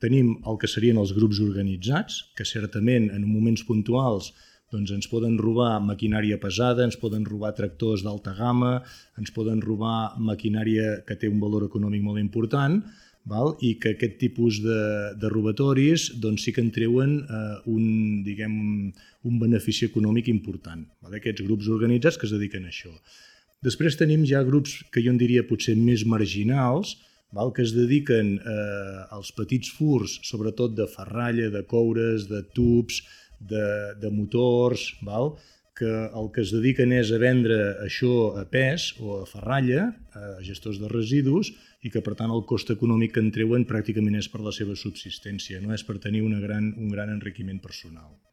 Tenim el que serien els grups organitzats, que certament en moments puntuals ens poden robar maquinària pesada, ens poden robar tractors d'alta gamma, ens poden robar maquinària que té un valor econòmic molt important, i que aquest tipus de robatoris sí que en treuen un benefici econòmic important. Aquests grups organitzats que es dediquen a això. Després tenim ja grups que jo en diria potser més marginals, que es dediquen als petits furts, sobretot de ferralla, de coures, de tubs, de motors, que el que es dediquen és a vendre això a pes o a ferralla, a gestors de residus, i que per tant el cost econòmic que en treuen pràcticament és per la seva subsistència, no és per tenir un gran enriquiment personal.